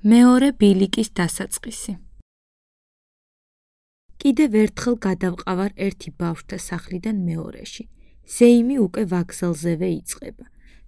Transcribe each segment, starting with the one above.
მეორე ბილიკის დასაწყისი. კიდევ ერთხელ გადავყავარ ერთი ბავშვთა სახლიდან მეორეში. ზეიმი უკვე ვაგზალზევე იწყება.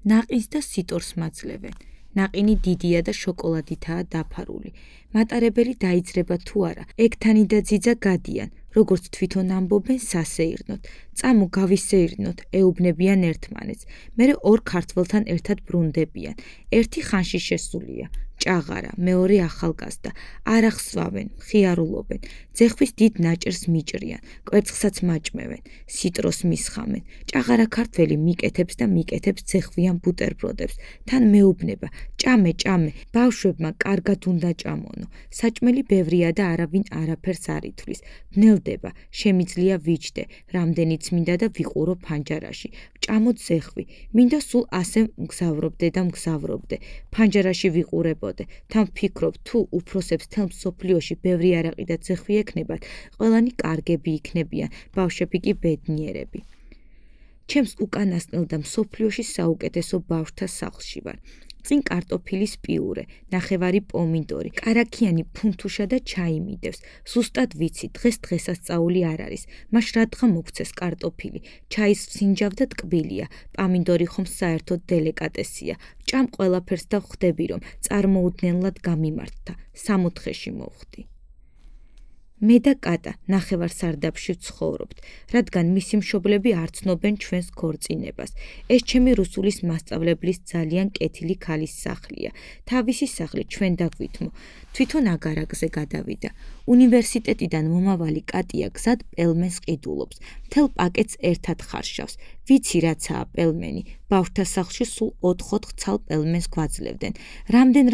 ნაყინს და სიტორს მაძლევენ. ნაყინი დიდია და შოკოლადითაა დაფარული. მატარებელი დაიძრება თუ არა, ეგთანი და ძიძა გადიან, როგორც თვითონ ამბობენ სასეირნოდ. წამო გავისეირნოთ, ეუბნებიან ერთმანეთს. მერე ორ ქართველთან ერთად ბრუნდებიან. ერთი ხანში შესულია. ჭაღარა, მეორე ახალგაზრდა, არ ახსვავენ, ხიარულობენ, ძეხვის დიდ ნაჭერს მიჭრიან, კვერცხსაც მაჭმევენ, სიტროს მისხამენ. ჭაღარა ქართველი მიკეთებს და მიკეთებს ძეხვიან ბუტერბროდებს, თან მეუბნება, ჭამე, ბავშვებმა კარგად უნდა ჭამონო. საჭმელი ბევრია და არავინ არაფერს არ ითვლის. ბნელდება, შემიძლია ვიჯდე, რამდენიც მინდა და ვიყურო ფანჯარაში. ჭამო ძეხვი, მინდა სულ ასე მგზავრობდე და მგზავრობდე. ფანჯარაში ვიყურებოდე. თან ვფიქრობ, თუ უფროსებს თელ მსოფლიოში ბევრი არაყი და ძეხვი ექნებათ, ყველანი კარგები იქნებიან, ბავშვები კი ბედნიერები. ჩემს უკანასკნელ და მსოფლიოში საუკეთესო ბავშვთა სახლში ვარ. წინ კარტოფილის პიურე, ნახევარი პომინდორი, კარაქიანი ფუნთუშა და ჩაი მიდევს. ზუსტად ვიცი, დღეს დღესასწაული არ არის. მაშ რადგან მოგცეს კარტოფილი, ჩაის ფსინჯავ და ტკბილია, პომინდორი ხომ საერთოდ დელიკატესია. ჭამ ყველაფერს და ხვდები, რომ წარმოუდგენლად გამიმართთა. 60-ში მოვხდი. მე და კატა ნახევარ სარდაფში ვცხოვრობთ, რადგან მისი მშობლები არ ცნობენ ჩვენს ქორწინებას. ეს ჩემი რუსულის მასწავლებლის ძალიან კეთილი ქალის სახლია. თავისი სახლი ჩვენ დაგვითმო. თვითონ აგარაკზე გადავიდა. უნივერსიტეტიდან მომავალი კატია გზად პელმენს ყიდულობს. მთელ პაკეტს ერთად ხარშავს. ვიცი რაცაა პელმენი. ბავშვთა სახლში სულ 4 ცალ პელმენს გვაძლევდნენ.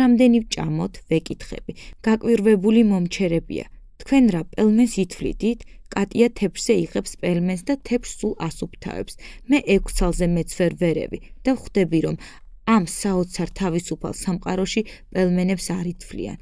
რამდენი ვჭამოთ, ვეკითხები. გაკვირვებული მომჩერებია. თქვენ რა პელმენს ითვლიდით? კატია თეფშზე იღებს პელმენს და თეფშს სულ ასუფთავებს. მე 6 ცალზე მეცვერ ვერევი და ვხვდები, რომ ამ საოცარ თავისუფალ სამყაროში პელმენებს არ ითვლიან.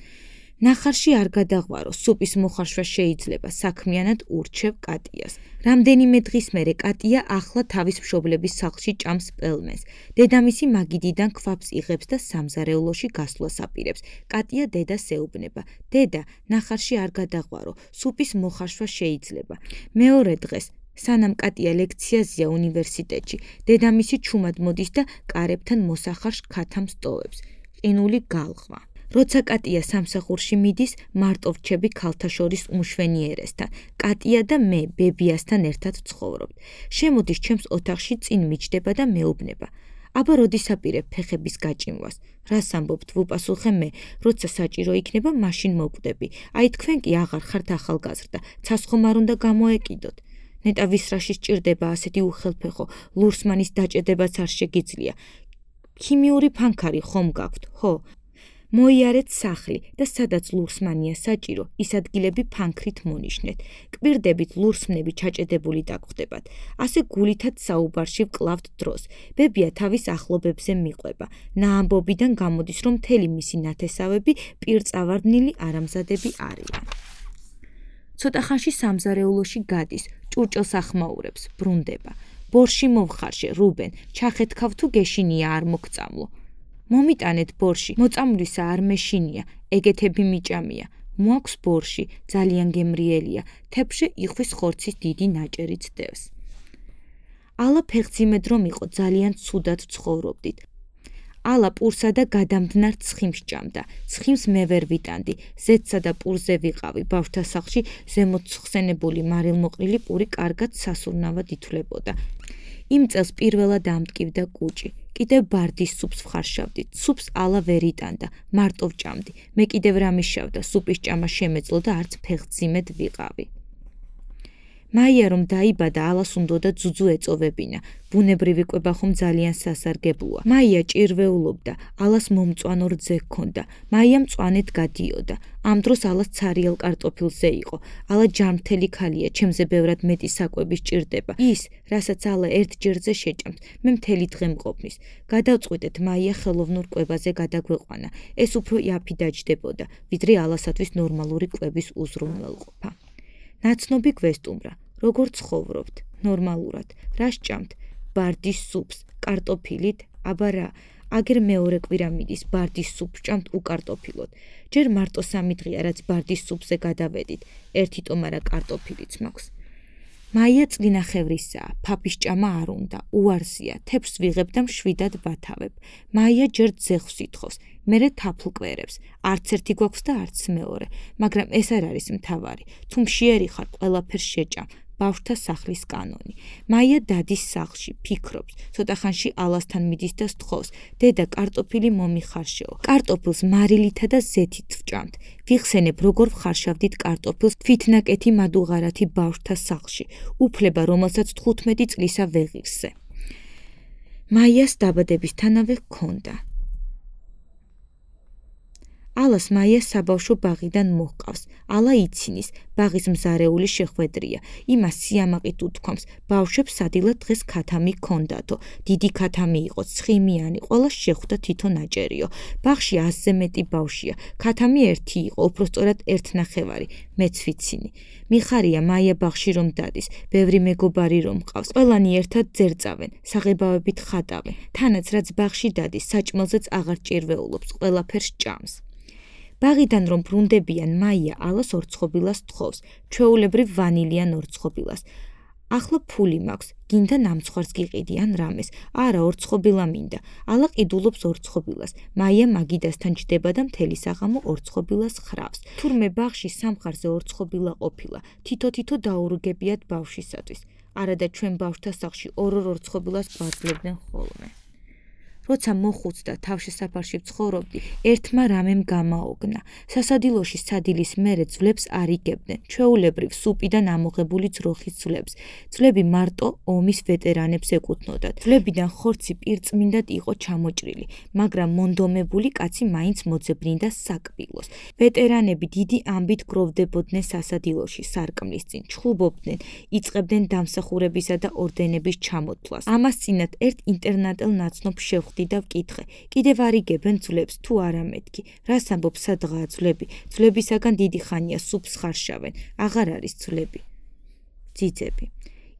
ნახარში არ გადაღვარო, სუპის მოხარშვა შეიძლება, საქმიანად ურჩევ კატიას. რამდენიმე დღის მერე კატია ახლა თავის მშობლების სახლში ჭამს პელმენს. დედამისი მაგიდიდან ქვაფს იღებს და სამზარეულოში გასვლას აპირებს. კატია დედას ეუბნება. დედა, ნახარში არ გადაღვარო, სუპის მოხარშვა შეიძლება. მეორე დღეს სანამ კატია ლექციაზეა უნივერსიტეტში, დედამისი ჩუმად მოდის და კარებთან მოსახარშ ქათამს ტოვებს. ყინული გალღვა. როცა კატია სამსახურში მიდის, მარტო რჩები ქალთა შორის უმშვენიერესთან. კატია და მე ბებიასთან ერთად ვცხოვრობთ. შემოდის ჩემს ოთახში, წინ მიჯდება და მეუბნება. აბა როდის აპირებ ფეხების გაჭიმვას? რას ამბობთ, ვუპასუხე მე, როცა საჭირო იქნება, მაშინ მოკვდები. აი თქვენ კი აღარ ხართ ახალგაზრდა, ცას ხომ არ უნდა გამოეკიდოთ. ნეტა ვისრაში სჭირდება ასეთი უხელფეხო, ლურსმანის დაჭედებაც არ შეგიძლია. ქიმიური ფანქარი ხომ გაქვთ, ხო? მოიარეთ სახლი და სადაც ლურსმანია საჭირო, ის ადგილები ფანქრით მონიშნეთ. კვირდებით ლურსმნები ჩაჭედებული დაგხვდებათ. ასე გულითად საუბარში ვკლავთ დროს. ბებია თავის ახლობებზე მიყვება. ნაამბობიდან გამოდის, რომ მთელი მისი ნათესავები პირწავარდნილი არამზადები არიან. ცოტა ხანში სამზარეულოში გადის, ჭურჭელს ახმაურებს, ბრუნდება. ბორში მოვხარშე, რუბენ, ჩახეთქავ თუ გეშინია არ მოგწამლო. მომიტანეთ ბორში, მოწამვლისა არ მეშინია, ეგეთები მიჭამია. მოაქვს ბორში, ძალიან გემრიელია, თეფშე იხვის ხორცის დიდი ნაჭერიც დევს. ალა ფეხძიმედ რომ იყო, ძალიან ცუდად ცხოვრობდით. ალა პურსა და გადამდნარ ცხიმს ჭამდა. ცხიმს მე ვერ ვიტანდი, ზეთსა და პურზე ვიყავი, ბავშვთა სახლში ზემოთ ხსენებული მარილმოყრილი პური კარგად სასურნავად ითვლებოდა. იმ წელს პირველად ამტკივდა კუჭი. კიდევ ბარდის სუპს ვხარშავდით. სუპს ალა ვერ იტანდა, მარტო ვჭამდი. მე კიდევ რა მიშავდა, სუპის ჭამა შემეძლო და არც ფეხძიმედ ვიყავი. მაია რომ დაიბადა, ალას უნდოდა ძუძუ ეწოვებინა. ბუნებრივი კვება ხომ ძალიან სასარგებლოა. მაია ჭირვეულობდა, ალას მომწვანო რძე ჰქონდა. მაია მწვანედ გადიოდა. ამ დროს ალას ცარიელ კარტოფილზე იყო. ალა ჯანმრთელი ქალია, ჩემზე ბევრად მეტი საკვები სჭირდება. ის, რასაც ალა ერთ ჯერზე შეჭამთ, მე მთელი დღე მყოფნის. გადავწყვიტეთ, მაია ხელოვნურ კვებაზე გადაგვეყვანა. ეს უფრო იაფი დაჯდებოდა, ვიდრე ალასათვის ნორმალური კვების უზრუნველყოფა. ნაცნობი გვესტუმრა, როგორ ცხოვრობთ? ნორმალურად. რა სჭამთ? ბარდის სუპს, კარტოფილით, აბა რა, აგერ მეორე კვირა მიდის ბარდის სუპს ჭამთ უკარტოფილოდ. ჯერ მარტო 3 დღეა რაც ბარდის სუპზე გადავედით, 1 ტომარა კარტოფილიც მაქვს. მაია წლინახევრისაა, ფაფის ჭამა არ უნდა, უარსია, თეფს ვიღებ და მშვიდად ვათავებ. მაია ჯერ ძეხვს ითხოვს, მერე თაფლკვერებს, არც ერთი გვაქვს და არც მეორე, მაგრამ ეს არ არის მთავარი, თუ მშიერი ხარ, ყველაფერს შეჭამ. ბავშვთა სახლის კანონი. მაია დადის სახლში, ფიქრობს, ცოტა ხანში ალასთან მიდის და სთხოვს, დედა კარტოფილი მომიხარშეო. კარტოფილს მარილითა და ზეთით ვჭამთ. ვიხსენებ, როგორ ვხარშავდით კარტოფილს თვითნაკეთი მადუღარათი ბავშვთა სახლში, უფლება, რომელსაც 15 წლისა ვეღირსე. მაიას დაბადებისთანავე ჰქონდა. ალას მაია საბავშვო ბაღიდან მოჰყავს, ალა იცინის, ბაღის მზარეული შეხვედრია, იმას სიამაყით უთქვამს, ბავშვებს სადილად დღეს ქათამი ჰქონდათო, დიდი ქათამი იყო, ცხიმიანი, ყველა შეხვდა თითო ნაჭერიო, ბაღში 100-ზე მეტი ბავშვია, ქათამი ერთი იყო, უпростоრად 1.5, მეც ვიცინი. მიხარია მაია ბაღში რომ დადის, ბევრი მეგობარი რომ მყავს, ყველანი ერთად ძერწავენ, საღებავებით ხატავენ, თანაც რაც ბაღში დადის, საჭმელზეც აღარ ჭირვეულობს, ყველაფერს ჭამს. ბაღიდან რომ ბრუნდებიან, მაია ალას ორცხობილას თხოვს, ჩვეულებრივ ვანილიან ორცხობილას. ახლა ფული მაქვს, გინდა ნამცხვარს გიყიდი ან რამეს, არა ორცხობილა მინდა, ალა ყიდულობს ორცხობილას, მაია მაგიდასთან ჯდება და მთელი საღამო ორცხობილას ხრავს. თურმე ბაღში სამხარზე ორცხობილა ყოფილა, თითო-თითო დაურიგებიათ ბავშვისათვის, არა და ჩვენ ბავშვთა სახლში ორ-ორ ორცხობილას გვაძლევდნენ ხოლმე. როცა მოხუცდა თავშესაფარში ვცხოვრობდი, ერთმა რამემ გამაოგნა. სასადილოში სადილის მერე ძვლებს არ იგებდნენ, ჩვეულებრივ სუპიდან ამოღებული ძროხის ძვლებს. ძვლები მარტო ომის ვეტერანებს ეკუთვნოდათ. ძვლებიდან ხორცი პირწმინდად იყო ჩამოჭრილი, მაგრამ მონდომებული კაცი მაინც მოძებნიდა საკბილოს. ვეტერანები დიდი ამბით გროვდებოდნენ სასადილოში, სარკმლის წინ, ჩხუბობდნენ, იწყებდნენ დამსახურებისა და ორდენების ჩამოთვლას. ამას წინათ ერთ ინტერნატელ ნაცნობ შევხვდი და ვკითხე, კიდევ არ იგებენ ძვლებს თუ არა მეთქი, რას ამბობ სადღაა ძვლები, ძვლებისაგან დიდი ხანია სუპს ხარშავენ, აღარ არის ძვლები. ძიძები.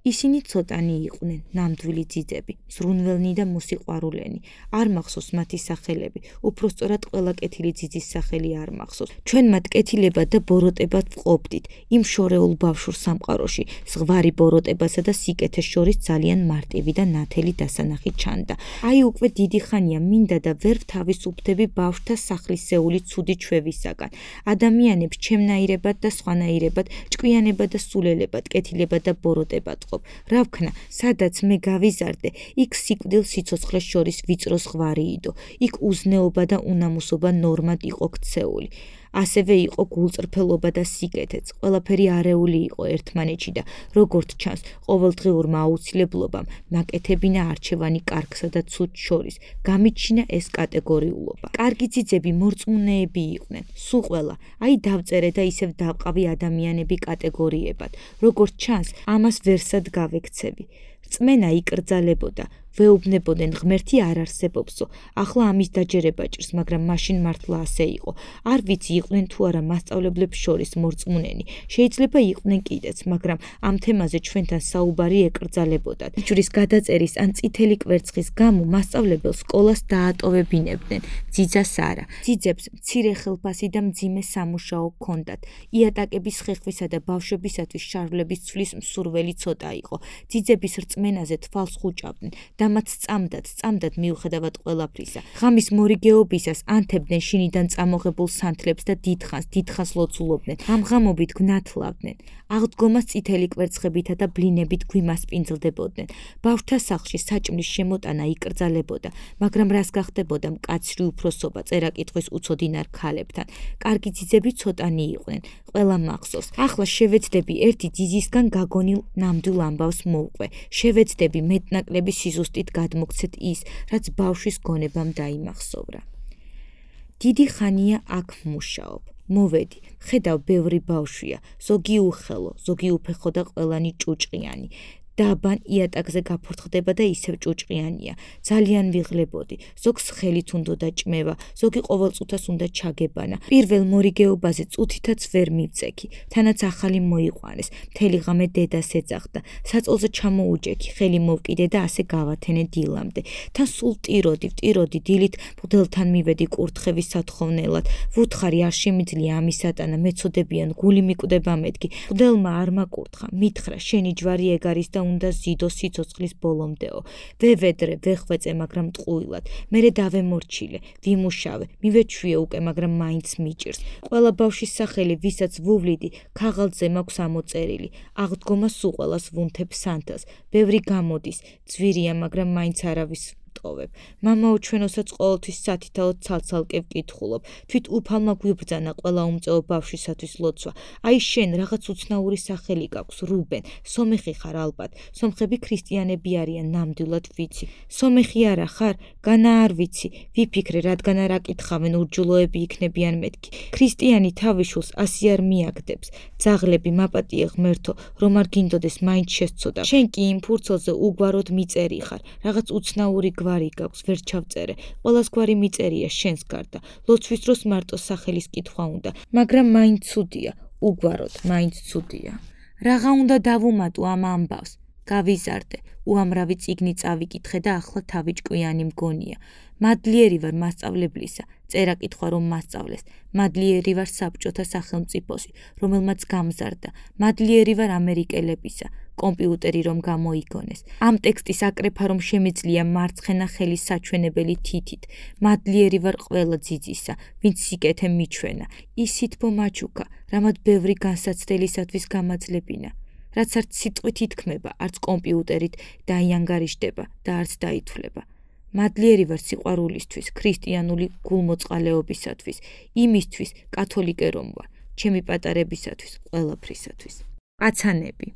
ისინი ცოტანი იყვნენ, ნამდვილი ძიძები, ზრუნველნი და მოსიყვარულენი. არ მახსოვს მათი სახელები, უпростоრად ყველა კეთილი ძიძის სახელი არ მახსოვს. ჩვენ მათ კეთილებად და ბოროტებად ვყოფდით, იმ შორეულ ბავშვურ სამყაროში, ზღვარი ბოროტებასა და სიკეთეს შორის ძალიან მარტივი და ნათელი დასანახი ჩანდა. აი უკვე დიდი ხანია მინდა და ვერ ვთავისუფლდები ბავშვთა სახლისეული ცუდი ჩვევისაგან. ადამიანებს ჩემნაირებად და სხვანაირებად, ჭკვიანებად და სულელებად, კეთილებად და ბოროტებად ვყოფ. რა ვქნა, სადაც მე გავიზარდე, იქ სიკვდილ სიცოცხლეს შორის ვიწრო ზღვარი იდო, იქ უზნეობა და უნამუსობა ნორმად იყო ქცეული. ასევე იყო გულწრფელობა და სიკეთეც, ყველაფერი არეული იყო ერთმანეთში და როგორც ჩანს, ყოველდღიურმა აუცილებლობამ მაკეთებინა არჩევანი კარგსა და ცუდს შორის, გამიჩინა ეს კატეგორიულობა. კარგი ძიძები მორწმუნეები იყვნენ, სულ ყველა, აი დავწერე და ისევ დავყავი ადამიანები კატეგორიებად, როგორც ჩანს, ამას ვერსად გავექცევი. რწმენა იკრძალებოდა, ვეუბნებოდნენ ღმერთი არ არსებობსო, ახლა ამის დაჯერება ჭირს, მაგრამ მაშინ მართლა ასე იყო. არ ვიცი იყვნენ თუ არა მასწავლებლებს შორის მორწმუნენი, შეიძლება იყვნენ კიდეც, მაგრამ ამ თემაზე ჩვენთან საუბარი ეკრძალებოდათ. ჯვრის გადაწერის ან წითელი კვერცხის გამო მასწავლებელს სკოლას დაატოვებინებდნენ, ძიძას არა. ძიძებს მცირე ხელფასი და მძიმე სამუშაო ჰქონდათ. იატაკების ხეხვისა და ბავშვებისათვის შარვლების ცვლის მსურველი ცოტა იყო. ძიძების რწმენაზე თვალს ხუჭავდნენ და მათ სწამდათ მიუხედავად ყველაფრისა. ღამის მორიგეობისას ანთებდნენ შინიდან წამოღებულ სანთლებს და დიდხანს ლოცულობდნენ. ამ ღამობით გვნათლავდნენ. აღდგომას წითელი კვერცხებითა და ბლინებით გვიმასპინძლდებოდნენ. ბავშვთა სახლში საჭმლის შემოტანა იკრძალებოდა, მაგრამ რას გახდებოდა მკაცრი უფროსობა წერა-კითხვის უცოდინარ ქალებთან. კარგი ძიძები ცოტანი იყვნენ, ყველა მახსოვს. ახლა შევეცდები ერთი ძიძისგან გაგონილ ნამდვილ ამბავს მოვყვე. შევეცდები მეტნაკლები სიზუსტით გადმოგცეთ ის, რაც ბავშვის გონებამ დაიმახსოვრა. დიდი ხანია აქ მუშაობ. მოვედი, ხედავ ბევრი ბავშვია, ზოგი უხელო, ზოგი უფეხო და ყველანი ჭუჭყიანი. დაბან იატაკზე გაფორთხდება და ისევ ჭუჭყიანია. ძალიან ვიღლებოდი. ზოგს ხელით უნდა ჭმევა, ზოგი ყოველწუთას უნდა ჩაგებანა. პირველ მორიგეობაზე წუთითაც ვერ მივწექი. თანაც ახალი მოიყვანეს. მთელი ღამე დედას ეძახდა. საწოლზე ჩამოუჯექი, ხელი მოვკიდე და ასე გავათენე დილამდე. თან სულ ვტიროდი, დილით მღვდელთან მივედი კურთხევის სათხოვნელად. ვუთხარი არ შემიძლია ამის ატანა, მეწოდებიან, გული მიკვდება მეთქი. მღვდელმა არ მაკურთხა, მითხრა, შენი ჯვარი ეგ არის და უნდა ზიდო სიცოცხლის ბოლომდეო. ვევედრე, ვეხვეწე, მაგრამ ტყუილად. მერე დავემორჩილე, ვიმუშავე, მივეჩვიე უკვე, მაგრამ მაინც მიჭირს. ყველა ბავშვის სახელი, ვისაც ვუვლიდი, ქაღალდზე მაქვს ამოწერილი. აღდგომა სულ ყველას ვუნთებ სანთელს. ბევრი გამოდის, ძვირია, მაგრამ მაინც არავის ტოვებ. მამაო ჩვენოსაც ყოველთვის სათითაოდ ცალ-ცალკე ვკითხულობ. თვით უფალმა გვიბრძანა ყველა უმწეო ბავშვისათვის ლოცვა. აი შენ რაღაც უცნაური სახელი გაქვს, რუბენ. სომეხი ხარ ალბათ. სომხები ქრისტიანები არიან, ნამდვილად ვიცი. სომეხი არა ხარ? განა არ ვიცი. ვიფიქრე, რადგან არ აკითხავენ, ურჯულოები იქნებიან მეთქი. ქრისტიანი თავიშულს ასე არ მიაგდებს. ძაღლები, მაპატიე ღმერთო, რომ არ გინდოდეს, მაინც შესწოდა. შენ კი იმ ფურცელზე უგვაროდ მიწერი ხარ. რაღაც უცნაური გვარი გაქვს, ვერ ჩავწერე. ყველას გვარი მიწერია შენს გარდა. ლოცვის დროს მარტო სახელის კითხვა უნდა, მაგრამ მაინც ცუდია, უგვაროდ, მაინც ცუდია. რაღა უნდა დავუმატო ამ ამბავს? გავიზარდე, უამრავი წიგნი წავიკითხე და ახლა თავი ჭკვიანი მგონია. მადლიერი ვარ მასწავლებლისა, წერა კითხვა რომ მასწავლეს. მადლიერი ვარ საბჭოთა სახელმწიფოსი, რომელმაც გამზარდა. მადლიერი ვარ ამერიკელებისა, კომპიუტერი რომ გამოიგონეს. ამ ტექსტის აკრეფა რომ შემიძლია მარცხენა ხელის საჩვენებელი თითით. მადლიერი ვარ ყველა ძიძისა, ვინც სიკეთე მიჩვენა. ისითბო მაჩუკა, რამად ბევრი განსაცდელისათვის გამაძლებინა. რაც არც სიტყვით ითქმება, არც კომპიუტერით დაიანგარიშდება და არც დაითვლება. მადლიერი ვარ სიყვარულისთვის, ქრისტიანული გულმოწყალეობისათვის, იმისთვის, კათოლიკე რომ ვარ, ჩემი პატარებისათვის, ყველაფრისათვის. პაცანები.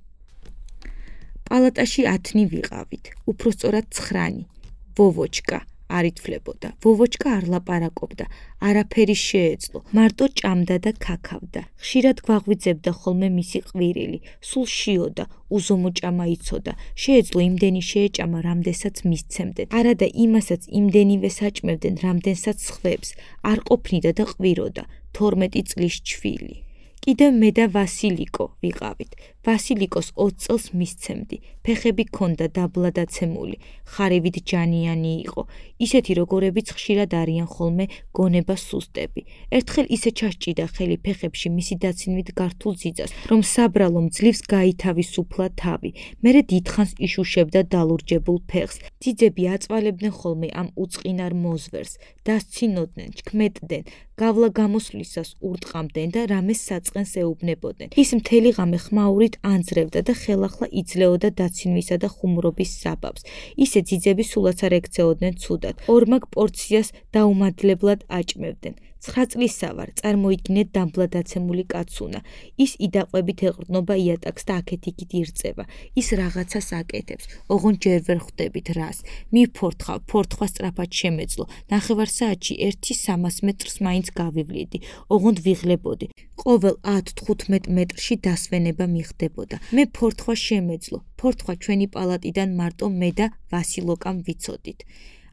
პალატაში 10 ვიყავით, უпроსწორად 9. ვოვოჩკა არ ითვლებოდა. ვოვოჩკა არ ლაპარაკობდა, არაფერი შეეძლო, მარტო ჭამდა და ქაქავდა. ხშირად გვაღვიძებდა ხოლმე მისი ყვირილი, სულ შიოდა, უზომო ჭამა იცოდა. შეეძლო იმდენი შეეჭამა, რამდენსაც მისცემდნენ. არა და იმასაც იმდენივე საჭმევდნენ, რამდენსაც სხვებს. არ ყოფნიდა და ყვიროდა. 12 წლის ჩვილი. კიდევ მე და ვასილიკო ვიყავით. ვასილიკოს 20 წელს მისცემდი. ფეხები ქონდა დაბლადაცემული, ხარევით ჯანიანი იყო. ისეთი როგორებიც ხშირად არიან ხოლმე გონება სუსტები. ერთხელ ისე ჩასჭიდა ხელი ფეხებში მისი დაცინვით გართულ ძიძას, რომ საბრალო მძლივს გაითავისუფლა თავი. მერე დიდხანს იშუშებდა დალურჯებულ ფეხს. ძიძები აწვალებდნენ ხოლმე ამ უწყინარ მოზვერს, დასცინოდნენ, ჩქმეტდნენ, გავლა გამოსვლისას ურტყამდნენ და რამეს საწყენს ეუბნებოდნენ. ის მთელი ღამე ხმაურით ანძრევდა და ხელახლა იძლეოდა დაცინვისა და ხუმრობის საბაბს. ისე ძიძები სულაც არ ექცეოდნენ ცუდად. ორმაგ პორციას დაუმადლებლად აჭმევდნენ. 9 წლისა ვარ, წარმოიდგინეთ დამბლადაცემული კაცუნა. ის იდაყვებით ეყრდნობა იატაკს და აქეთ-იქით ირწევა. ის რაღაცას აკეთებს. ოღონდ ჯერ ვერ ხვდებით რას. მივფორთხავ, ფორთხვა სწრაფად შემეძლო. ნახევარ საათში 1-300 მეტრს მაინც გავივლიდი. ოღონდ ვიღლებოდი. ყოველ 10-15 მეტრში დასვენება მიხდებოდა. მე ფორთხვა შემეძლო. ფორთხვა ჩვენი პალატიდან მარტო მე და ვასილოკამ ვიცოდით.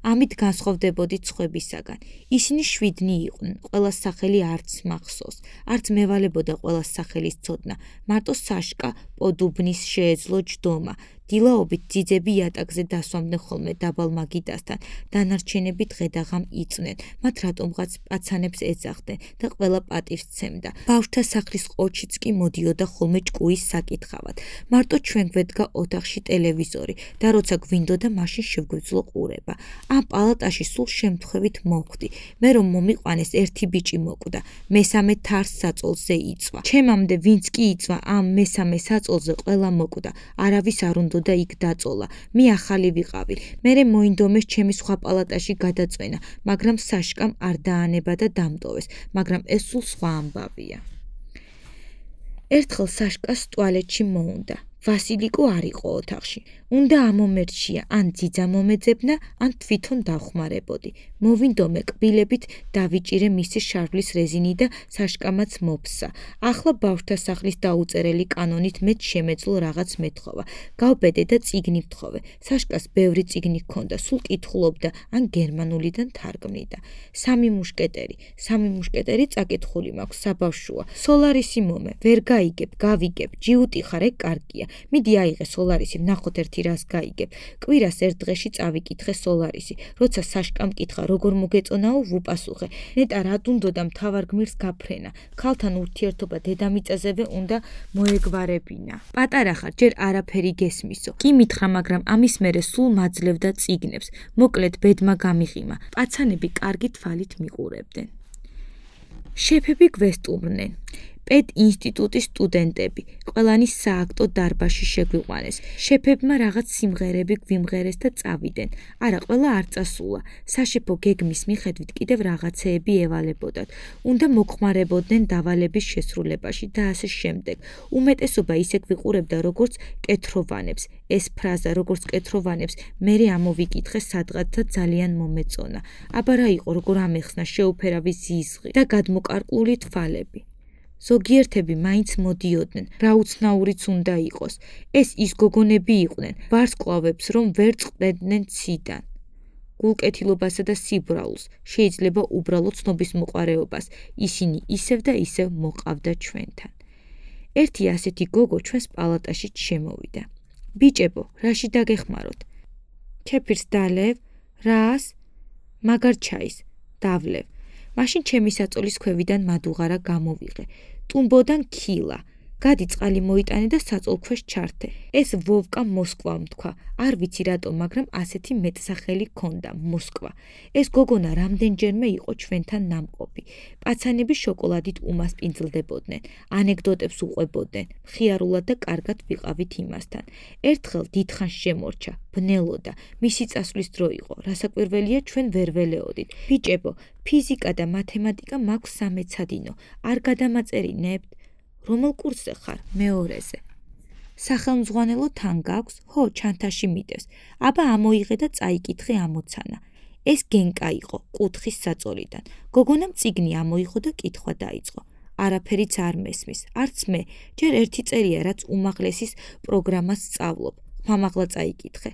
ამით განსხვავდებოდით სხვებისაგან. ისინი 7 იყვნენ, ყველას სახელი არც მახსოვს, არც მევალებოდა ყველას სახელის ცოდნა, მარტო საშკა პოდუბნის შეეძლო ჯდომა. დილაობით ძიძები იატაკზე დასვამდნენ ხოლმე დაბალ მაგიდასთან, დანარჩენები დღე-დაღამ იწვნენ, მათ რატომღაც პაცანებს ეძახდნენ და ყველა პატივს სცემდა. ბავშვთა სახლის ყოჩიც კი მოდიოდა ხოლმე ჭკუის საკითხავად. მარტო ჩვენ გვედგა ოთახში ტელევიზორი და როცა გვინდოდა, მაშინ შევგვეძლო ყურება. ამ პალატაში სულ შემთხვევით მოვხვდი. მე რომ მომიყვანეს, ერთი ბიჭი მოკვდა, მესამე თარს საწოლზე იწვა. ჩემამდე ვინც კი იწვა, ამ მესამე საწოლზე ყველა მოკვდა. არავის არ უნდა და იქ დაწოლა. მე ახალი ვიყავი. მერე მოინდომეს ჩემი სხვა პალატაში გადაწვენა, მაგრამ საშკამ არ დაანება და დამტოვეს, მაგრამ ეს სულ სხვა ამბავია. ერთხელ საშკას ტუალეტში მოუნდა. ვასილიკო არ იყო ოთახში. უნდა ამომერჩია, ან ძიძა მომეძებნა, ან თვითონ დავხმარებოდი. მოვინდომე კბილებით დავიჭირე მისი შარვლის რეზინი და საშკამაც მოფსა. ახლა ბავშვთა სახლის დაუწერელი კანონით მეც შემეძლო რაღაც მეთხოვა. გავბედე და წიგნი ვთხოვე. საშკას ბევრი წიგნი ჰქონდა, სულ კითხულობდა, ან გერმანულიდან თარგმნიდა. სამი მუშკეტერი წაკითხული მაქვს, საბავშვოა. სოლარისი მომე, ვერ გაიგებ, გავიგებ, ჯიუტი ხარ, ეგ კარგია. მიდი აიღე სოლარისი, ვნახოთ ერთი რას გაიგებ. კვირას ერთ დღეში წავიკითხე სოლარისი. როცა საშკამ კითხა, როგორ მოგეწონაო, ვუპასუხე. ნეტა რა უნდოდა მთავარ გმირს გაფრენა. ქალთან ურთიერთობა დედამიწაზევე უნდა მოეგვარებინა. პატარა ხარ, ჯერ არაფერი გესმისო. კი მითხრა, მაგრამ ამის მერე სულ მაძლევდა წიგნებს. მოკლედ ბედმა გამიღიმა. პაცანები კარგი თვალით მიყურებდნენ. შეფები გვესტუმრნენ. პედ ინსტიტუტის სტუდენტები, ყველანი სააქტო დარბაზში შეგვიყვანეს. შეფებმა რაღაც სიმღერები გვიმღერეს და წავიდნენ. არა, ყველა არ წასულა. საშეფო გეგმის მიხედვით კიდევ რაღაცეები ევალებოდათ. უნდა მოხმარებოდნენ დავალების შესრულებაში და ასე შემდეგ. უმეტესობა ისე გვიყურებდა, როგორც კეთროვანებს. ეს ფრაზა, როგორც კეთროვანებს, მერე ამოვიკითხე სადღაც და ძალიან მომეწონა. აბა რა იყო, როგორ ამეხსნა შეუფერავი ზიზღი და გადმოკარკლული თვალები. ზოგიერთები მაინც მოდიოდნენ, რა უცნაურიც უნდა იყოს. ეს ის გოგონები იყვნენ, ვარსკვლავებს რომ ვერ წყდებდნენ ციდან. გულკეთილობასა და სიბრალულს, შეიძლება უბრალოდ ცნობისმოყვარეობას, ისინი ისევ და ისევ მოყავდა ჩვენთან. ერთი ასეთი გოგო ჩვენს პალატაში შემოვიდა. ბიჭებო, რაში დაგეხმაროთ? ქეფირს დალევ, რას? მაგარ ჩაის, დავლევ. მაშინ ჩემი საწოლის ქვევიდან მადუღარა გამოვიღე. ტუმბოდან ქილა. გადი წყალი მოიტანე და საწოლქვეშ ჩართე. ეს ვოვკა მოსკვამ თქვა. არ ვიცი რატომ, მაგრამ ასეთი მეტსახელი ჰქონდა, მოსკვა. ეს გოგონა რამდენჯერმე იყო ჩვენთან ნამყოფი. პაცანები შოკოლადით უმასპინძლდებოდნენ, ანეკდოტებს უყვებოდნენ, მხიარულად და კარგად ვიყავით იმასთან. ერთხელ დიდხანს შემორჩა, ბნელოდა, მისი წასვლის დრო იყო, რასაკვირველია ჩვენ ვერ ველეოდით. ბიჭებო, ფიზიკა და მათემატიკა მაქვს სამეცადინო, არ გადამაწერინებთ? რომელ კურსზე ხარ? მეორეზე. სახელმძღვანელო თან გაქვს? ხო, ჩანთაში მიდევს. აბა ამოიღე და წაიკითხე ამოცანა. ეს გენკა იყო, კუთხის საწოლიდან. გოგონამ წიგნი ამოიღო და კითხვა დაიწყო. არაფერიც არ მესმის, არც მე, ჯერ ერთი წერია, რაც უმაღლესის პროგრამას სწავლობ. მამაღლა წაიკითხე.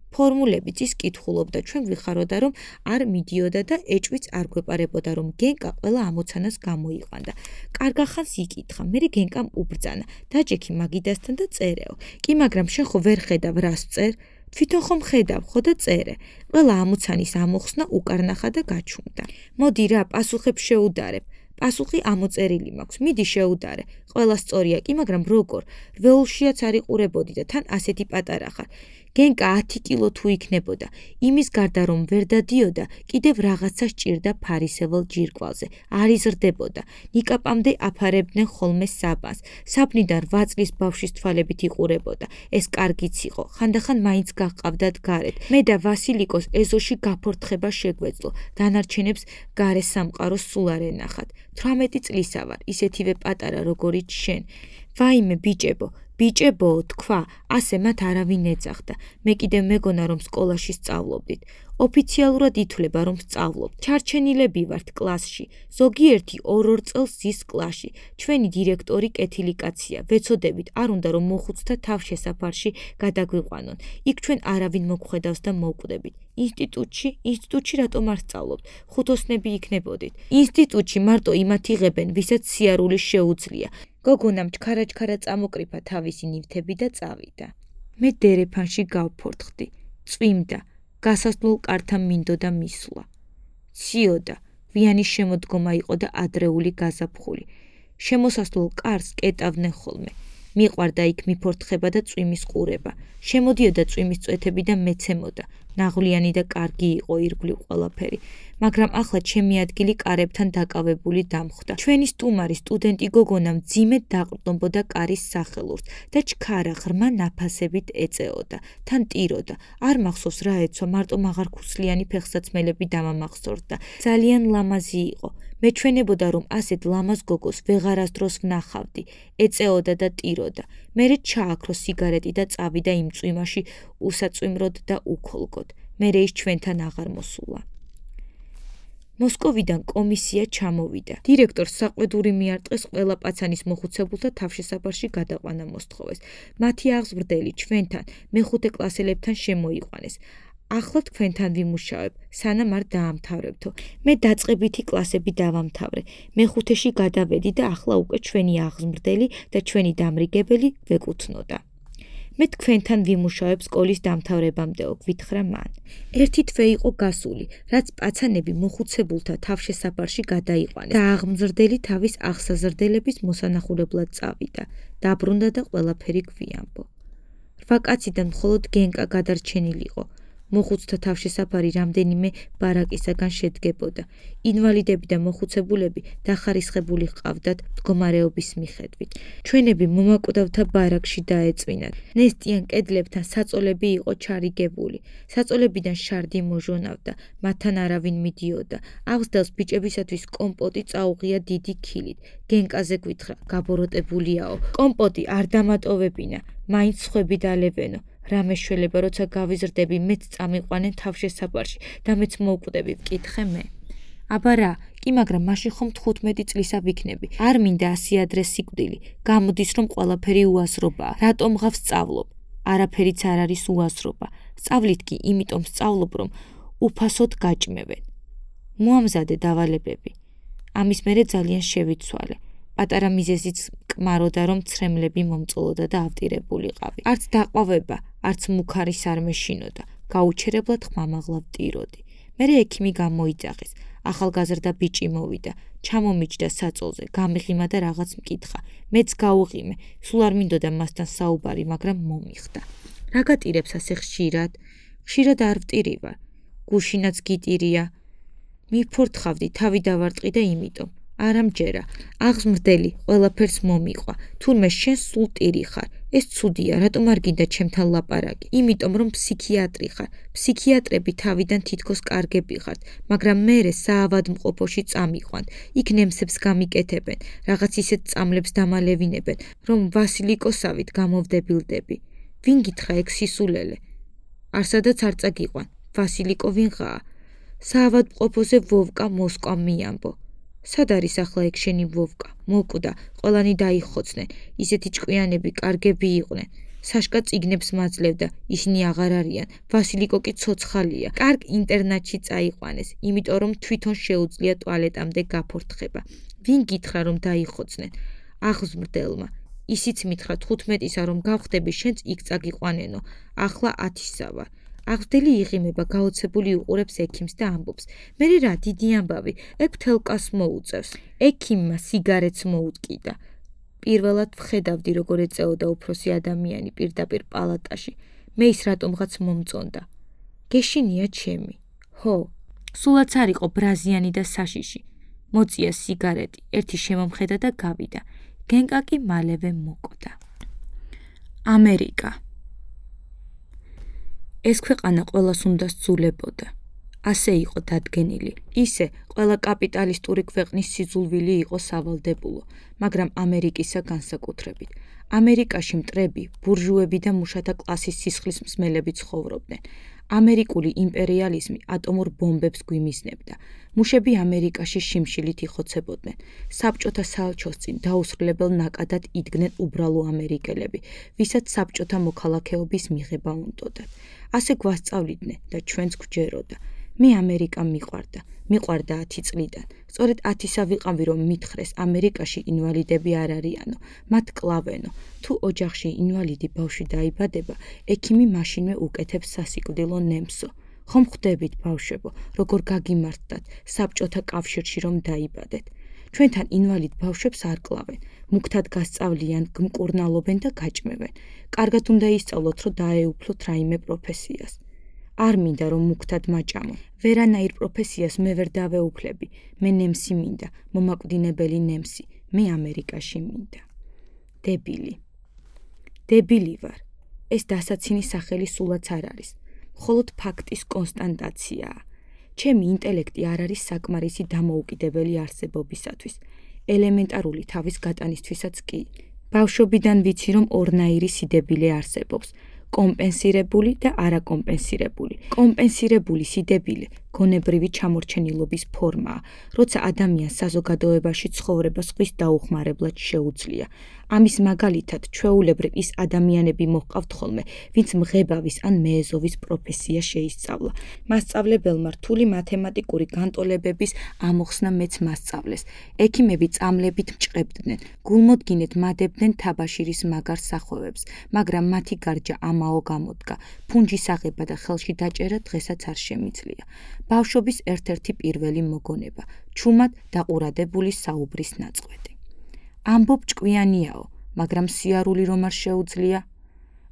ფორმულებიც ის კითხულობდა, ჩვენ გვიხაროდა, რომ არ მიდიოდა და ეჭვიც არ გვეპარებოდა, რომ გენკა ყველა ამოცანას გამოიყვანდა. კარგა ხანს იკითხა, მერე გენკამ უბრძანა, დაჯექი მაგიდასთან და წერეო. კი, მაგრამ შენ ხო ვერ ხედავ, რას წერ? თვითონ ხომ ხედავ, ხო და წერე. ყველა ამოცანის ამოხსნა უკარნახა და გაჩუმდა. მოდი რა, პასუხებს შეუდარებ. პასუხი ამოწერილი მაქვს, მიდი შეუდარე. ყველა სწორია, კი, მაგრამ როგორ? რვეულშიაც არ იყურებოდი და თან ასეთი პატარა ხარ. გენკა 10 კილო თუ იქნებოდა. იმის გარდა რომ ვერ დადიოდა, კიდევ რაღაცა სჭირდა ფარისევალ ჯირკვალზე. არ იზრდებოდა. ნიკაპამდე აფარებდნენ ხოლმე საბანს. საბნიდან 8 წლის ბავშვის თვალებით იყურებოდა. ეს კარგიც იყო. ხანდახან მაინც გაჰყავდათ გარეთ. მე და ვასილიკოს ეზოში გაფორთხება შეგვეძლო. დანარჩენებს გარე სამყაროს სულ არ ენახათ. 18 წლისა ვარ, ისეთივე პატარა როგორიც შენ. ვაიმე ბიჭებო, თქვა, ასე მათ არავინ ეძახდა. მე კიდევ მეგონა რომ სკოლაში სწავლობდით. ოფიციალურად ითვლება რომ სწავლობ. ჩარჩენილები ვართ კლასში. ზოგიერთი 2 წელს ზის კლასში. ჩვენი დირექტორი კეთილი კაცია. ვეცოდებით, არ უნდა რომ მოხუცთა თავშესაფარში გადაგვიყვანონ. იქ ჩვენ არავინ მოგხვედავს და მოვკვდებით. ინსტიტუტში რატომ არ სწავლობთ? ხუთოსნები იქნებოდით. ინსტიტუტში მარტო იმათ იღებენ, ვისაც სიარული შეუძლია. გოგონამ ჩქარა წამოკრიფა თავისი ნივთები და წავიდა. მე დერეფანში გავფორთხდი. წვიმდა. გასასვლელ კართან მინდოდა მისვლა. ციოდა, ვიანი შემოდგომა იყო და ადრეული გაზაფხული. შემოსასვლელ კარს კეტავდნენ ხოლმე. მიყვარდა იქ მიფორთხება და წვიმის ყურება. შემოდიოდა წვიმის წვეთები და მეცემოდა. ნაღვლიანი და კარგი იყო ირგვლივ ყველაფერი. მაგრამ ახლა ჩემი ადგილი კარებთან დაკავებული დამხვდა. ჩვენი სტუმარი სტუდენტი გოგონა მძიმედ დაყრდნობოდა კარის სახელურს და ჩქარა ღრმა ნაფასებით ეწეოდა. თან ტიროდა. არ მახსოვს რა ეცვა, მარტო მაღარქუსლიანი ფეხსაცმელები დამამახსოვრდა. ძალიან ლამაზი იყო. მეჩვენებოდა რომ ასეთ ლამაზ გოგოს ვეღარასდროს ვნახავდი. ეწეოდა და ტიროდა. მერე ჩააქრო სიგარეტი და წავიდა იმ წვიმაში უსაწვიმროდ და უქოლგოდ. მერე ის ჩვენთან აღარ მოსულა. მოსკოვიდან კომისია ჩამოვიდა. დირექტორს საყვედური მიარტყეს ყველა პაცანის მოხუცებულთა თავშესაფარში გადაყვანა მოსთხოვეს. მათი აღზრდელი ჩვენთან მეხუთე კლასელებთან შემოიყვანეს. ახლა თქვენთან ვიმუშავებ, სანამ არ დაამთავრებთო. მე დაწყებითი კლასები დავამთავრე. მეხუთეში გადავედი და ახლა უკვე ჩვენი აღზრდელი და ჩვენი დამრიგებელი ვეკუთვნოდა. მე თქვენთან ვიმუშავებ სკოლის დამთავრებამდეო, გვითხრა მან. ერთი თვე იყო გასული, რაც პაცანები მოხუცებულთა თავშესაფარში გადაიყვანეს და აღმზრდელი თავის აღსაზრდელების მოსანახულებლად წავიდა. დაბრუნდა და ყველაფერი გვიანბო. 8 კაციდან მხოლოდ გენკა გადარჩენილიყო. მოხუცთა თავშესაფარი რამდენიმე ბარაკისაგან შედგებოდა. ინვალიდები და მოხუცებულები დახარისხებული ჰყავდათ მდგომარეობის მიხედვით. ჩვენები მომაკვდავთა ბარაკში დაეწვინათ. ნესტიან კედლებთან საწოლები იყო ჩარიგებული. საწოლებიდან შარდი მოჟონავდა, მათთან არავინ მიდიოდა. აღზრდელს ბიჭებისათვის კომპოტი წაუღია დიდი ქილით. გენკაზე გვითხრა, გაბოროტებულიაო. კომპოტი არ დამატოვებინა, მაინც სხვები დალევენო. რა მეშველება, როცა გავიზრდები, მეც წამიყვანენ თავშესაფარში და მეც მოვკვდები, ვკითხე მე. აბა რა, კი მაგრამ მაშინ ხომ 15 წლისა ვიქნები. არ მინდა 100 ადრე სიკვდილი. გამოდის რომ ყველაფერი უაზრობაა. რატომ ღავს სწავლობ? არაფერიც არ არის უაზრობა. სწავლით კი იმიტომ სწავლობ, რომ უფასოდ გაჭმევენ. მოამზადე დავალებები. ამის მერე ძალიან შევიცვალე. პატარა მიზეზიც კმაროდა, რომ ცრემლები მომწოლოდა და ავტირებულიყავი. არც დაყვავება, არც მუქარის არ მეშინოდა. გაუჩერებლად ხმამაღლა ვტიროდი. მერე ექიმი გამოიძახეს. ახალგაზრდა ბიჭი მოვიდა. ჩამომიჯდა საწოლზე, გამიღიმა და რაღაც მკითხა. მეც გაუღიმე. სულ არ მინდოდა მასთან საუბარი, მაგრამ მომიხდა. რა გატირებს ასე ხშირად? ხშირად არ ვტირივარ. გუშინაც გიტირია. მიფორთხავდი, თავი დავარტყი და იმიტომ. არამჯერა, აღზრდელი ყველაფერს მომიყვა. თურმე შენ სულ ტირი ხარ. ეს ცუდია, რატომ არ გინდა ჩემთან ლაპარაკი? იმიტომ რომ ფსიქიატრი ხარ. ფსიქიატრები თავიდან თითქოს კარგები ხართ, მაგრამ მერე საავადმყოფოში წამიყვანთ. იქ ნემსებს გამიკეთებენ, რაღაც ისეთ წამლებს დამალევინებენ, რომ ვასილიკოსავით გამოვდებილდები. ვინ გითხრა ეგ სისულელე? არსადაც არ წაგიყვან. ვასილიკო ვინღაა? საავადმყოფოზე ვოვკა მოსკვა მიამბო. სად არის ახლა ეგ შენი ვოვკა? მოკვდა, ყველანი დაიხოცნენ. ისეთი ჭკვიანები კარგები იყვნენ. საშკა წიგნებს მაძლევდა, ისინი აღარ არიან. ვასილიკო კი ცოცხალია. კარგ ინტერნატში წაიყვანეს, იმიტომ რომ თვითონ შეუძლია ტუალეტამდე გაფორთხება. ვინ გითხრა რომ დაიხოცნენ? აღზრდელმა. ისიც მითხრა 15-ისა რომ გავხდები, შენც იქ წაგიყვანენო. ახლა 10-ისა ვარ. აღზრდელი იღიმება, გაოცებული უყურებს ექიმს და ამბობს. მერე რა, დიდი ამბავი, ეგ მთელკას მოუწევს. ექიმმა სიგარეტს მოუტკიდა. პირველად ვხედავდი, როგორ ეწეოდა უფროსი ადამიანი პირდაპირ პალატაში. მე ის რატომღაც მომწონდა. გეშინია ჩემი. ჰო, სულაც არ იყო ბრაზიანი და საშიში. მოწია სიგარეტი, ერთი შემომხედა და გავიდა. გენკა კი მალევე მოკვდა. ამერიკა. ეს ქვეყანა ყველას უნდა სძულებოდა. ასე იყო დადგენილი. ისე ყველა კაპიტალისტური ქვეყნის სიძულვილი იყო სავალდებულო, მაგრამ ამერიკისა განსაკუთრებით. ამერიკაში მტრები, ბურჟუები და მუშათა კლასის სისხლის მსმელები ცხოვრობდნენ. ამერიკული იმპერიალიზმი ატომურ ბომბებს გვიმიზნებდა. მუშები ამერიკაში შიმშილით იხოცებოდნენ. საბჭოთა საელჩოს წინ დაუსრულებელ ნაკადად იდგნენ უბრალო ამერიკელები, ვისაც საბჭოთა მოქალაქეობის მიღება უნდოდათ. ასე გვასწავლიდნენ და ჩვენც გვჯეროდა. მე ამერიკა მიყვარდა 10 წლიდან. სწორედ 10-ისა ვიყავი რომ მითხრეს ამერიკაში ინვალიდები არ არიანო, მათ კლავენო. თუ ოჯახში ინვალიდი ბავშვი დაიბადება, ექიმი მაშინვე უკეთებს სასიკვდილო ნემსო. ხომ ხვდებით ბავშვებო, როგორ გაგიმართდათ საბჭოთა კავშირში რომ დაიბადეთ. ჩვენთან ინვალიდ ბავშვებს არ კლავენ, მუქთად გასწავლიან, გმკურნალობენ და გაჭმევენ. კარგად უნდა ისწავლოთ, რომ დაეუფლოთ რაიმე პროფესიას. არ მინდა რომ მუქთად მაჭამო. ვერანაირ პროფესიას მე ვერ დავეუფლები. მე ნემსი მინდა, მომაკვდინებელი ნემსი. მე ამერიკაში მინდა. დებილი ვარ. ეს დასაცინი სახელი სულაც არ არის. მხოლოდ ფაქტის კონსტატაციაა. ჩემი ინტელექტი არ არის საკმარისი დამოუკიდებელი არსებობისათვის. ელემენტარული თავის გატანისთვისაც კი. ბავშვობიდან ვიცი რომ ორნაირი სიდებილე არსებობს. კომპენსირებული და არაკომპენსირებული. კომპენსირებული სიდებილე გონებრივი ჩამორჩენილობის ფორმაა, როცა ადამიანს საზოგადოებაში ცხოვრება სხვის დაუხმარებლად შეუძლია. ამის მაგალითად, ჩვეულებრივ ის ადამიანები მოჰყავთ ხოლმე, ვინც მღებავის ან მეეზოვის პროფესია შეისწავლა. მასწავლებელმა რთული მათემატიკური განტოლებების ამოხსნა მეც მასწავლეს. ექიმები წამლებით მჭყებდნენ, გულმოდგინედ მადებდნენ თაბაშირის მაგარ სახვევებს, მაგრამ მათი გარჯა ამაო გამოდგა. ფუნჯის აღება და ხელში დაჭერა დღესაც არ შემიძლია. ბავშვობის ერთ-ერთი პირველი მოგონება, ჩუმად დაყურადებული საუბრის ნაწყვეტი. ამბობ ჭკვიანიაო, მაგრამ სიარული რომ არ შეუძლია?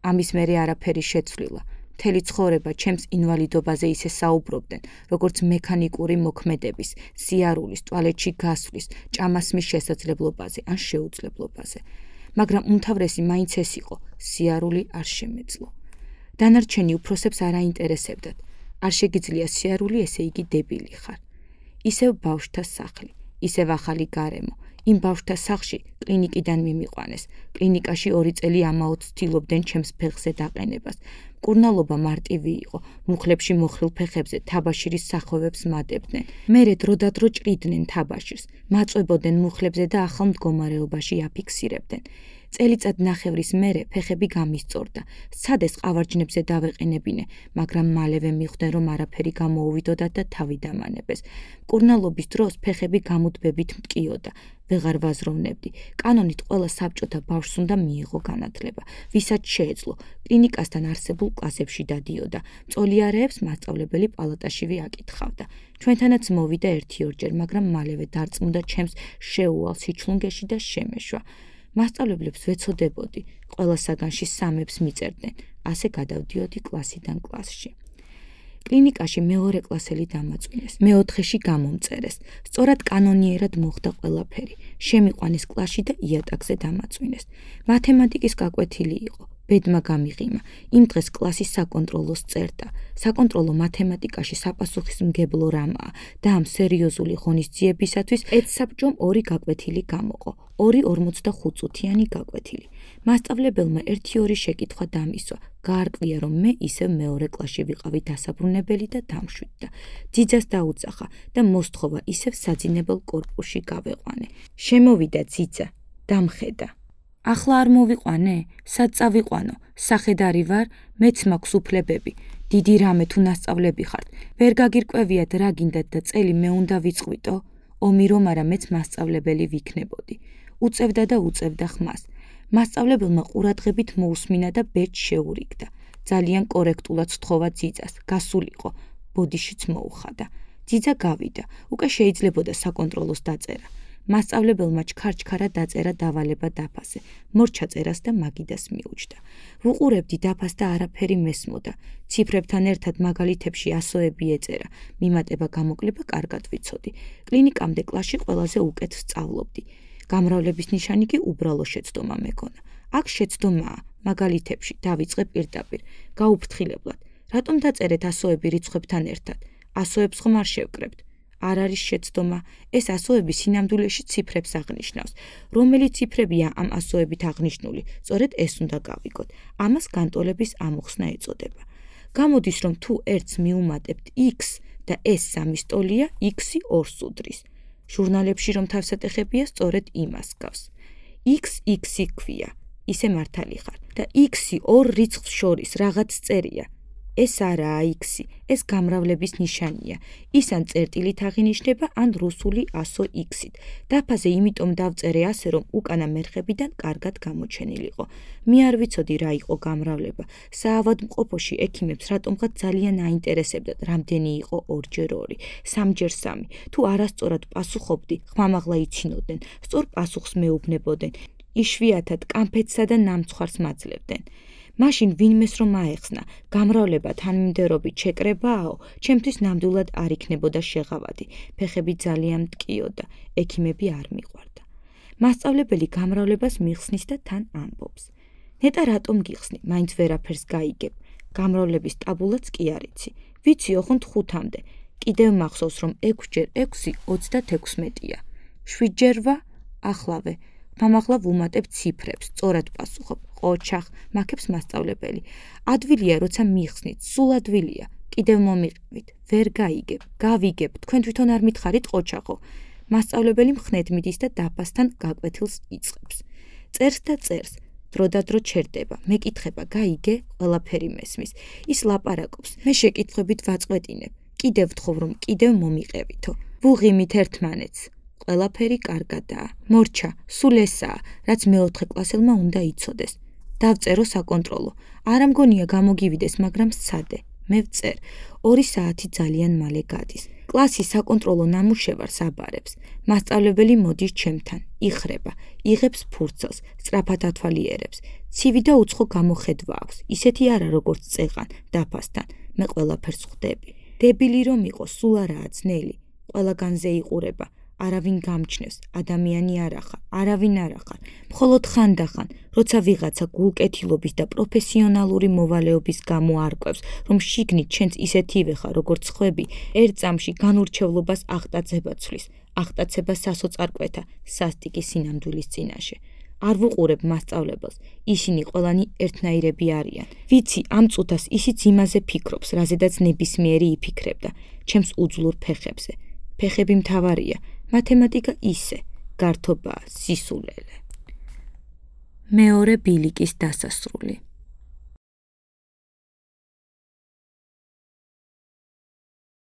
ამის მერე არაფერი შეცვლილა. მთელი ცხოვრება ჩემს ინვალიდობაზე ისე საუბრობდნენ, როგორც მექანიკური მოქმედების, სიარულის, ტუალეტში გასვლის, ჭამასმის შესაძლებლობაზე ან შეუძლებლობაზე. მაგრამ უმთავრესი მაინც ეს იყო, სიარული არ შემეძლო. დანარჩენი უფროსებს არ აინტერესებდათ. არ შეგიძლია სიარული, ესე იგი დებილი ხარ. ისევ ბავშვთა სახლი, ისევ ახალი გარემო. იმ ბავშვთა სახლში კლინიკიდან მიმიყვანეს. კლინიკაში 2 წელი ამაოდ ცდილობდნენ ჩემს ფეხზე დაყენებას. მკურნალობა მარტივი იყო. მუხლებში მოხრილ ფეხებზე თაბაშირის სახვევებს მადებდნენ. მერე დროდადრო ჭრიდნენ თაბაშირს, მაწვებოდნენ მუხლებზე და ახალ მდგომარეობაში აფიქსირებდნენ. წელიწად ნახევრის მერე ფეხები გამისწორდა. სცადეს ყავარჯნებზე დავეყენებინე, მაგრამ მალევე მიხვდნენ, რომ არაფერი გამოუვიდოდათ და თავი დამანებეს. მკურნალობის დროს ფეხები გამუდმებით მტკიოდა. ვეღარ ვაზროვნებდი. კანონით ყველა საბჭოთა ბავშვს უნდა მიიღო განათლება, ვისაც შეეძლო. კლინიკასთან არსებულ კლასებში დადიოდა. მწოლიარეებს მასწავლებელი პალატაშივე აკითხავდა. ჩვენთანაც მოვიდა 1-2 ჯერ, მაგრამ მალევე დარწმუნდა ჩემს შეუვალ სიჩლუნგეში და შემეშვა. მასწავლებლებს ვეცოდებოდი, ყველა საგანში 3-ებს მიწერდნენ, ასე გადავდიოდი კლასიდან კლასში. კლინიკაში მეორე კლასელი დამაწვინეს, მე-4-ში გამომწერეს. სწორად კანონიერად მოხდა ყველაფერი. შემიყვანეს კლასში და იატაკზე დამაწვინეს. მათემატიკის გაკვეთილი იყო. ბედმა გამიღიმა. იმ დღეს კლასის საკონტროლოს წერდა. საკონტროლო მათემატიკაში საპასუხისმგებლო რამაა და ამ სერიოზული ღონისძიებისათვის ეთსაბჭომ 2 გაკვეთილი გამოყო. 2 45-წუთიანი გაკვეთილი. მასწავლებელმა 1-2 შეკითხვა დამისვა. გაარკვია, რომ მე ისევ მეორე კლასში ვიყავი დასაბრუნებელი და დამშვიდდა. ძიძას დაუძახა და მოსთხოვა ისევ საძინებელ კორპუსში გავეყვანე. შემოვიდა ძიძა, დამხედა. ახლა არ მოვიყვანე? სად წავიყვანო? სახედარი ვარ, მეც მაქვს უფლებები. დიდი რამე თუ ნასწავლები ხართ. ვერ გაგირკვევიათ რა გინდათ და წელი მე უნდა ვიწყვიტო? ომი რომ არა, მეც მასწავლებელი ვიქნებოდი. უწევდა და უწევდა ხმას. მასწავლებელმა ყურადღებით მოусმინა და ბეჭდ შეურიგდა. ძალიან კორექტულად სთხოვა ძიძას, გასულიყო, ბოდიშიც მოუხადა. ძიძა გავიდა, უკვე შეიძლებოდა საკონტროლოს დაწერა. მასწავლებელმა ჩქარ-ჩქარა დაწერა დავალება დაფაზე, მორჩა წერას და მაგიდას მიუჯდა. ვუყურებდი დაფას და არაფერი მესმოდა. ციფრებთან ერთად მაგალითებში ასოები ეწერა, მიმატება გამოკლება კარგად ვიცოდი. კლინიკამდე კლასში ყველაზე უკეთ სწავლობდი. გამრავლების ნიშანი კი უბრალო შეცდომა მეკონა. აქ შეცდომაა, მაგალითებში დავიწყე პირდაპირ, გაუფრთხილებლად. რატომ დაწერეთ ასოები რიცხვებთან ერთად? ასოებს ხომ არ შევკრებთ? არ არის შეცდომა, ეს ასოები სინამდვილეში ციფრებს აღნიშნავს. რომელი ციფრებია ამ ასოებით აღნიშნული, სწორედ ეს უნდა გავიგოთ. ამას განტოლების ამოხსნა ეწოდება. გამოდის, რომ თუ ერთს მიუმატებთ x და ეს 3 ტოლია, x-ი 2-ს უდრის. ჟურნალებში რომ თავსატეხებია, სწორედ იმას გავს. x-ი ქვია, ისე მართალი ხარ და x-ი 2 რიცხვს შორის რაღაც წერია. ეს არაა x-ი, ეს გამრავლების ნიშანია. ის ან წერტილით აღინიშნება, ან რუსული ასო x-ით. დაფაზე იმიტომ დავწერე ასე, რომ უკანა მერხებიდან კარგად გამოჩენილიყო. მე არ ვიცოდი რა იყო გამრავლება. საავადმყოფოში ექიმებს რატომღაც ძალიან აინტერესებდათ, რამდენი იყო 2x2, 3x3. თუ არასწორად პასუხობდი, ხმამაღლა იცინოდნენ, სწორ პასუხს მეუბნებოდნენ. იშვიათად კამფეტსა და ნამცხვარს მაძლევდნენ. მაშინ ვინმეს რომ აეხსნა, გამრავლება თანმიმდევრობით შეკრებააო, ჩემთვის ნამდვილად არ იქნებოდა შეღავადი. ფეხები ძალიან მტკიოდა, ექიმები არ მიყვარდა. მასწავლებელი გამრავლებას მიხსნის და თან ამბობს. ნეტა რატომ გიხსნი, მაინც ვერაფერს გაიგებ. გამრავლების ტაბულაც კი არ იცი. ვიცი ოღონდ 5-მდე. კიდევ მახსოვს, რომ 6x6 26-ია. 7-ჯერ ვა, ახლავე. მამახლა ვუმატებ ციფრებს, სწორად პასუხობ, ყოჩახ, მაქებს მასწავლებელი. ადვილია, როცა მიხსნით, სულ ადვილია. კიდევ მომიყევით, ვერ გაიგებ, გავიგებ, თქვენ თვითონ არ მითხარით ყოჩახო. მასწავლებელი მხნედ მიდის და დაფასთან გაკვეთილს იწყებს. წერს და წერს. დროდადრო ჩერდება, მეკითხება, გაიგე, ყველაფერი მესმის. ის ლაპარაკობს, მე შეკითხვებით ვაწყვეტინებ. კიდევ ვთხოვ, რომ კიდევ მომიყევითო. ვუღიმით ერთმანეთს. ყველაფერი კარგადაა. მორჩა, სულ ესაა, რაც მეოთხე კლასელმა უნდა იცოდეს. დავწერო საკონტროლო. არ ამგონია გამოგივიდეს, მაგრამ სცადე. მე ვწერ. 2 საათი ძალიან მალე გადის. კლასი საკონტროლო ნამუშევარს აბარებს. მასწავლებელი მოდის ჩემთან, იხრება, იღებს ფურცელს, სწრაფად ათვალიერებს. ცივი და უცხო გამოხედვა აქვს. ისეთი არა, როგორც წეღან, დაფასთან. მე ყველაფერს ხვდები. დებილი რომ იყოს, სულ არაა ძნელი. ყველაგანზე იყურება. არავინ გამჩნევს, ადამიანი არახარ, არავინ არახარ. მხოლოდ ხანდახან, როცა ვიღაცა გულკეთილობის და პროფესიონალური მოვალეობის გამო არკვევს, რომ შიგნით ჩვენც ისეთივე ხარ, როგორც ხვები, ერთ წამში განურჩევლობას აღტაცება ცვლის, აღტაცება სასოწარკვეთა, სასტიკი სინამდვილის წინაშე. არ ვუყურებ მასწავლებელს, ისინი ყველანი ერთნაირები არიან. ვიცი, ამ წუთას ისიც იმაზე ფიქრობს, რაზედაც ნებისმიერი იფიქრებდა, ჩემს უძლურ ფეხებზე. ფეხები მთავარია, მათემატიკა ისე, გართობაა, სისულელე. მეორე ბილიკის დასასრული.